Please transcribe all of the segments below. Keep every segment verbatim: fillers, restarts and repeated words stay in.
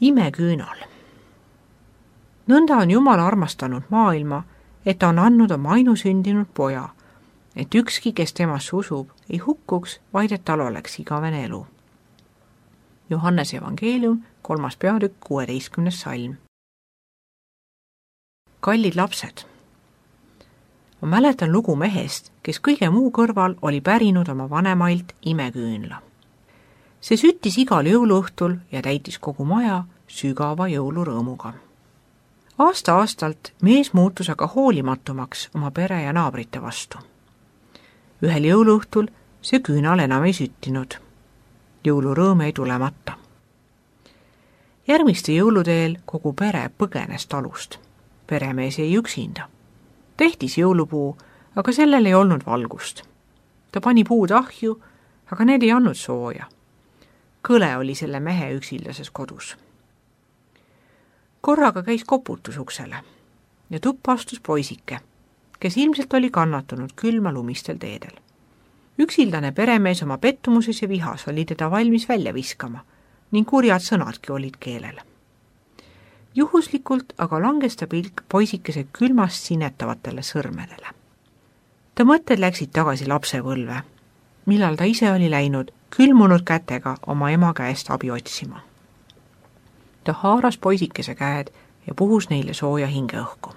Imeküünal. Nõnda on Jumal armastanud maailma, et ta on andnud oma ainusündinud poja, et ükski, kes temasse usub, ei hukkuks, vaid et tal oleks igavene elu. Johannese evangeelium, kolmas peatükk, kuueteistkümnes salm. Kallid lapsed. Ma mäletan lugu mehest, kes kõige muu kõrval oli pärinud oma vanemailt imeküünla. See süttis igal jõuluõhtul ja täitis kogu maja sügava jõulurõõmuga. Aasta-aastalt mees muutus aga hoolimatumaks oma pere ja naabrite vastu. Ühel jõuluõhtul see küünal enam ei süttinud. Jõulurõõm ei tulemata. Järgmiste jõuludeel kogu pere põgenes talust. Peremees jäi üksinda. Tehtis jõulupuu, aga sellel ei olnud valgust. Ta pani puud ahju, aga need ei andnud sooja. Kõle oli selle mehe üksildases kodus. Korraga käis koputus uksele ja tuppa astus poisike, kes ilmselt oli kannatanud külma lumistel teedel. Üksildane peremees oma pettumuses ja vihas oli teda valmis välja viskama ning kurjad sõnadki olid keelel. Juhuslikult aga langes ta pilk poisikese külmast sinetavatele sõrmedele. Ta mõtted läksid tagasi lapsepõlve, millal ta ise oli läinud külmunud kätega oma ema käest abi otsima. Ta haaras poisikese käed ja puhus neile sooja hingeõhku.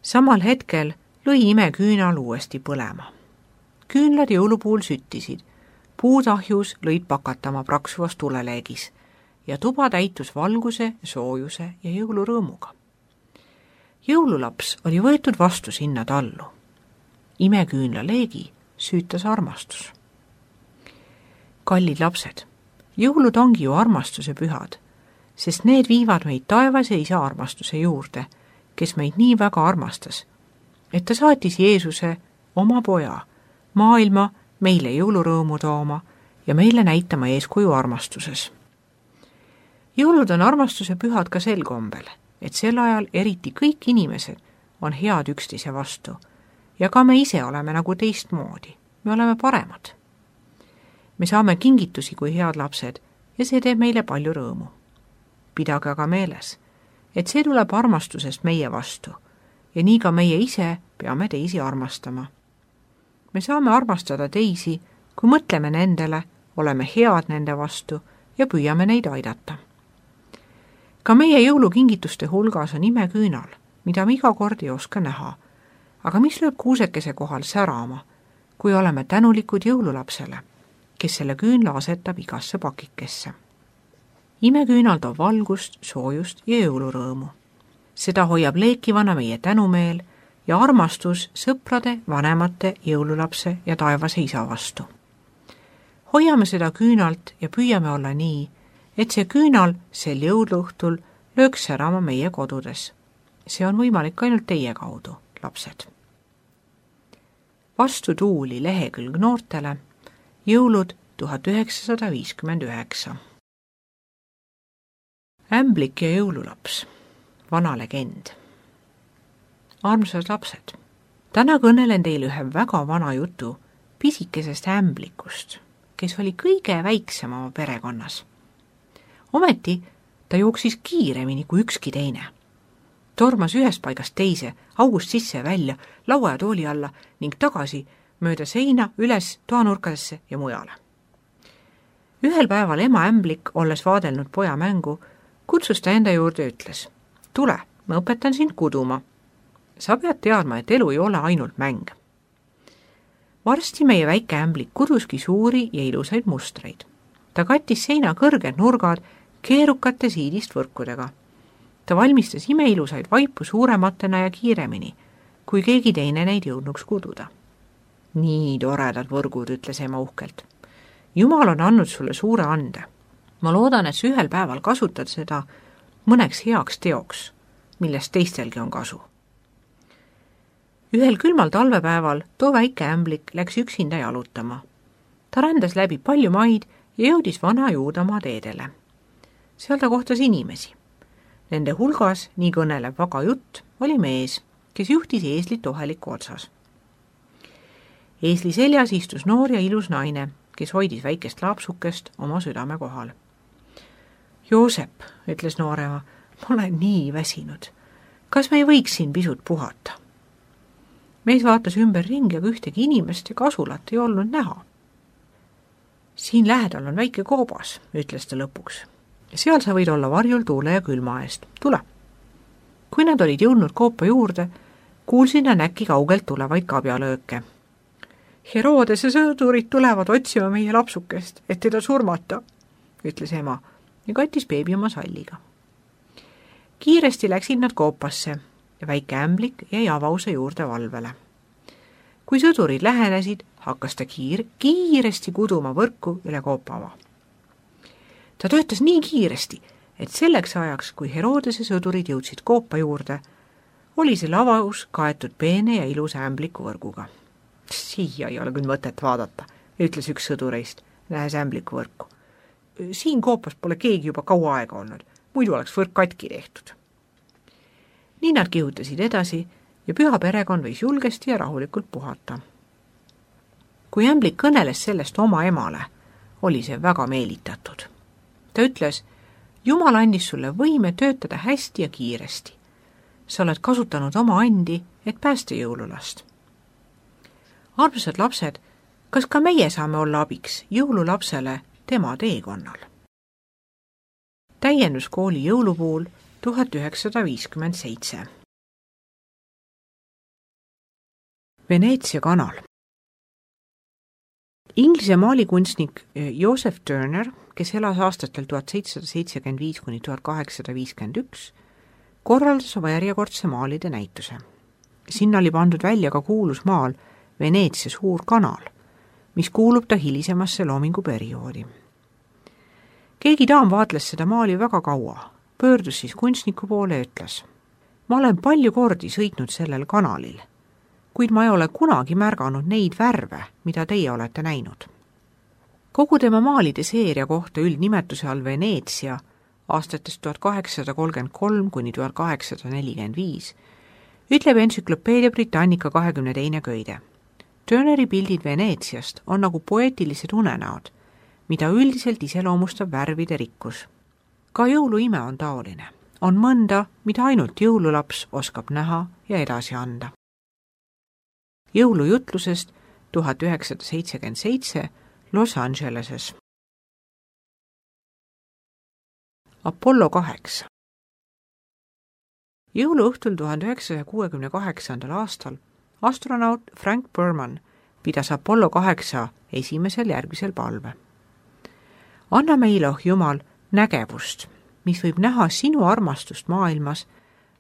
Samal hetkel lõi imeküünal uuesti põlema. Küünlad jõulupuul süttisid, puud ahjus lõid pakatama praksuvas tuleleegis ja tuba täitus valguse, soojuse ja jõulurõõmuga. Jõululaps oli võetud vastu sinna tallu. Imeküünla leegi süütas armastus. Kallid lapsed, jõulud ongi ju armastuse pühad, sest need viivad meid taevase isa armastuse juurde, kes meid nii väga armastas, et ta saatis Jeesuse, oma poja, maailma meile jõulurõõmu tooma ja meile näitama eeskuju armastuses. Jõulud on armastuse pühad ka sel kombel, et sel ajal eriti kõik inimesed on head üksteise vastu ja ka me ise oleme nagu teistmoodi, me oleme paremad. Me saame kingitusi kui head lapsed ja see teeb meile palju rõõmu. Pidage aga meeles, et see tuleb armastusest meie vastu ja nii ka meie ise peame teisi armastama. Me saame armastada teisi, kui mõtleme nendele, oleme head nende vastu ja püüame neid aidata. Ka meie jõulukingituste hulgas on imeküünal, mida me iga kord ei oska näha, aga mis lööb kuusekese kohal särama, kui oleme tänulikud jõululapsele, kes selle küünla asetab igasse pakikesse. Imeküünal toob valgust, soojust ja jõulurõõmu. Seda hoiab leekivana meie tänumeel ja armastus sõprade, vanemate, jõululapse ja taevase isa vastu. Hoiame seda küünalt ja püüame olla nii, et see küünal sel jõuluõhtul lööks särama meie kodudes. See on võimalik ainult teie kaudu, lapsed. Vastu tuuli lehekülg noortele, jõulud tuhat üheksasada viiskümmend üheksa. Ämblik ja jõululaps, vana legend. Armsad lapsed, täna kõnelen teile ühe väga vana jutu pisikesest ämblikust, kes oli kõige väiksem oma perekonnas. Ometi ta jooksis kiiremini kui ükski teine. Tormas ühest paigast teise, august sisse ja välja, laua ja tooli alla ning tagasi mööda seina, üles toanurkadesse ja mujale. Ühel päeval ema ämblik, olles vaadelnud poja mängu, kutsus ta enda juurde ja ütles: tule, ma õpetan sind kuduma. Sa pead teadma, et elu ei ole ainult mäng. Varsti meie väike ämblik kuduski suuri ja ilusaid mustreid. Ta kattis seina kõrged nurgad keerukate siidist võrkudega. Ta valmistas imeilusaid vaipu suurematena ja kiiremini, kui keegi teine neid jõudnuks kududa. Nii toredad võrgud, ütles ema uhkelt. Jumal on andnud sulle suure ande. Ma loodan, et sa ühel päeval kasutad seda mõneks heaks teoks, millest teistelgi on kasu. Ühel külmal talvepäeval too väike ämblik läks üksinda jalutama. Ta rändas läbi palju maid ja jõudis vana Juudamaa teedele. Seal ta kohtas inimesi. Nende hulgas, nii kõneleb vaga jutt, oli mees, kes juhtis eeslit oheliku otsas. Eesli seljas istus noor ja ilus naine, kes hoidis väikest lapsukest oma südame kohal. Joosep, ütles noorema, ma olen nii väsinud. Kas me ei võiks siin pisut puhata? Mees vaatas ümber ringi, aga ühtegi inimest ja kasulat ei olnud näha. Siin lähedal on väike koobas, ütles ta lõpuks. Seal sa võid olla varjul tuule ja külma eest. Tule. Kui nad olid jõudnud koopa juurde, kuulsin nad äkki kaugelt tulevaid kabjalööke. Herodese sõdurid tulevad otsima meie lapsukest, et teda surmata, ütles ema ja kattis beebi oma salliga. Kiiresti läksid nad koopasse ja väike ämblik jäi avause juurde valvele. Kui sõdurid lähenesid, hakkas ta kiir, kiiresti kuduma võrku üle koopava. Ta töötas nii kiiresti, et selleks ajaks, kui Herodese sõdurid jõudsid koopa juurde, oli see avaus kaetud peene ja ilusa ämbliku võrguga. Siia ei ole küll mõtet vaadata, ütles üks sõdureist, nähes ämbliku võrku. Siin koopas pole keegi juba kaua aega olnud, muidu oleks võrk katki tehtud. Nii nad kihutasid edasi ja püha perekond võis julgesti ja rahulikult puhata. Kui ämblik kõneles sellest oma emale, oli see väga meelitatud. Ta ütles, Jumal andis sulle võime töötada hästi ja kiiresti. Sa oled kasutanud oma andi, et päästa jõululast. Armsad lapsed, kas ka meie saame olla abiks jõululapsele tema teekonnal? Täienduskooli jõulupuul tuhat üheksasada viiskümmend seitse. Veneetsia kanal. Inglise maalikunstnik Joseph Turner, kes elas aastatel tuhat seitsesada seitsekümmend viis kuni tuhat kaheksasada viiskümmend üks, korraldas oma järjekordse maalide näituse. Sinna oli pandud välja ka kuulus maal Veneetsia suur kanal, mis kuulub ta hilisemasse loominguperioodi. Keegi daam vaatles seda maali väga kaua, pöördus siis kunstniku poole ja ütles, ma olen palju kordi sõitnud sellel kanalil, kuid ma ei ole kunagi märganud neid värve, mida teie olete näinud. Kogu tema maalide seeria kohta üldnimetuse all Veneetsia aastatest tuhat kaheksasada kolmkümmend kolm kuni tuhat kaheksasada nelikümmend viis ütleb entsüklopeedia Britannica kahekümne teine köide. Turneri pildid Veneetsiast on nagu poeetilised unenäod, mida üldiselt iseloomustab värvide rikkus. Ka jõuluime on taoline. On mõnda, mida ainult jõululaps oskab näha ja edasi anda. Jõulujutlusest tuhat üheksasada seitsekümmend seitse Los Angeleses. Apollo kaheksa. Jõuluõhtul tuhat üheksasaja kuuekümne kaheksandal aastal astronaut Frank Borman pidas Apollo kaheksa esimesel järgmisel palve. Anna meile, oh Jumal, nägevust, mis võib näha sinu armastust maailmas,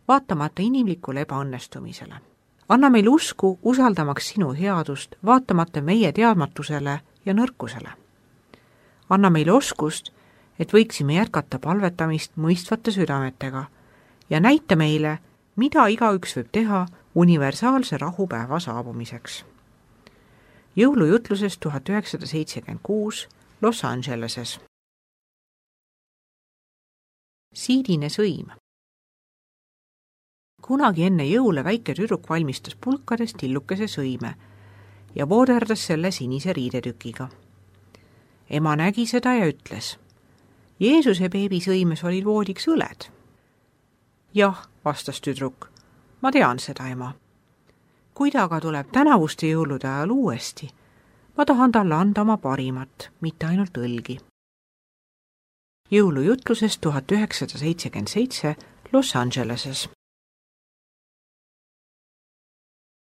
vaatamata inimlikule ebaõnnestumisele. Anna meil usku, usaldamaks sinu headust, vaatamata meie teadmatusele ja nõrkusele. Anna meile oskust, et võiksime jätkata palvetamist mõistvate südametega ja näita meile, mida igaüks võib teha universaalse rahupäeva saabumiseks. Jõulujutlusest tuhat üheksasada seitsekümmend kuus Los Angeleses. Siidine sõim. Kunagi enne jõule väike tüdruk valmistas pulkades tillukese sõime ja vooderdas selle sinise riidetükiga. Ema nägi seda ja ütles, Jeesuse beebi sõimes olid voodiks õled. Jah, vastas tüdruk, ma tean seda, ema. Kui ta aga tuleb tänavuste jõulude ajal uuesti, ma tahan talle anda oma parimat, mitte ainult õlgi. Jõulujutlusest tuhat üheksasada seitsekümmend seitse Los Angeleses.